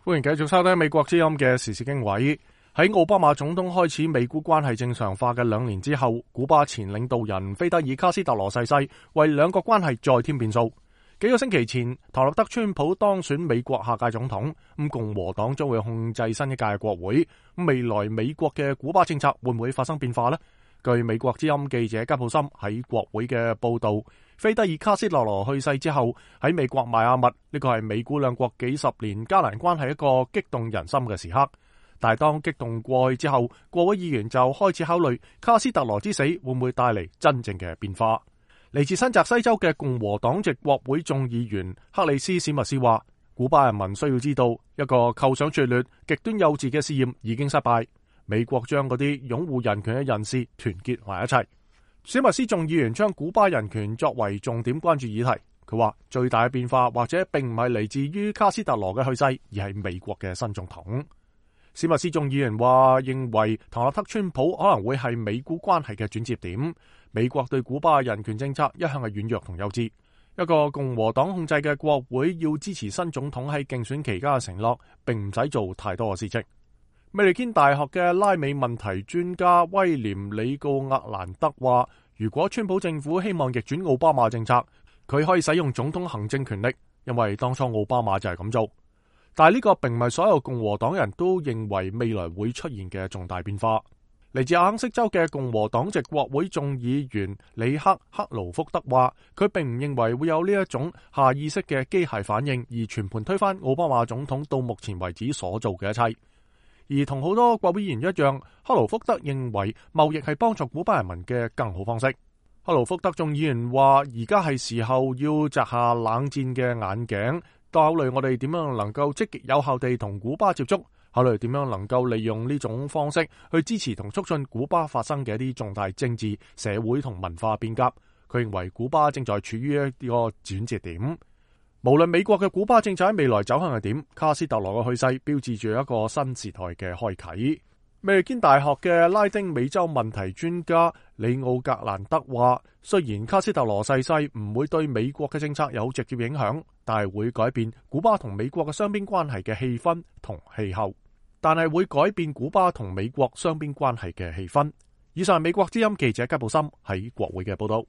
歡迎繼續收聽美國之音嘅時事經緯。喺奧巴馬總統開始美古關係正常化嘅2年之後，古巴前領導人菲德爾卡斯特羅逝世，為兩國關係再添變數。幾個星期前，唐納德川普當選美國下屆總統，共和黨將會控制新一屆國會。未來美國嘅古巴政策會唔會發生變化呢？據美國之音記者吉普森喺國會嘅報道，菲德爾卡斯特羅去世之後，喺美國邁阿密，呢個係美古兩國幾十年加難關係一個激動人心嘅時刻。但係當激動過去之後，國會議員就開始考慮卡斯特羅之死會唔會帶嚟真正嘅變化。嚟自新澤西州嘅共和黨籍國會眾議員克里斯史密斯話，古巴人民需要知道，一個構想拙劣、極端幼稚嘅試驗已經失敗。美國將嗰啲擁護人權嘅人士團結埋一齊。史密斯眾議員將古巴人權作為重點關注議題。佢話最大嘅變化或者並唔係嚟自於卡斯特羅嘅去世，而係美國嘅新總統。史密斯眾議員話認為唐納德川普可能會係美古關係嘅轉折點。美國對古巴人權政策一向係軟弱同幼稚。一個共和黨控制嘅國會要支持新總統喺競選期間嘅承諾，並唔使做太多嘅事情。美利堅大學嘅拉美問題專家威廉里告厄蘭德話，如果川普政府希望逆轉奧巴馬政策，佢可以使用總統行政權力，因為當初奧巴馬就係咁做。但係呢個並唔係所有共和黨人都認為未來會出現嘅重大變化。嚟自阿肯色州嘅共和黨籍國會眾議員里克克勞福德話，佢並唔認為會有呢一種下意識嘅機械反應，而全盤推翻奧巴馬總統到目前為止所做嘅一切。而同好多國會議員一樣，克勞福德認為貿易係幫助古巴人民嘅更好方式。克勞福德眾議員話，而家係時候要摘下冷戰嘅眼鏡，考慮我哋點樣能夠積極有效地同古巴接觸，考慮點樣能夠利用呢種方式去支持同促進古巴發生嘅一啲重大政治、社會同文化變革。佢認為古巴正在處於一個轉折點。無論美國嘅古巴政策喺未來走向係點，卡斯特羅嘅去世標誌住一個新時代嘅開啟。美利堅大學嘅拉丁美洲問題專家里奧格蘭德話，雖然卡斯特羅逝世唔會對美國嘅政策有直接影響，但係會改變古巴同美國嘅雙邊關係嘅氣氛同氣候。以上係美國之音記者吉布森喺國會嘅報道。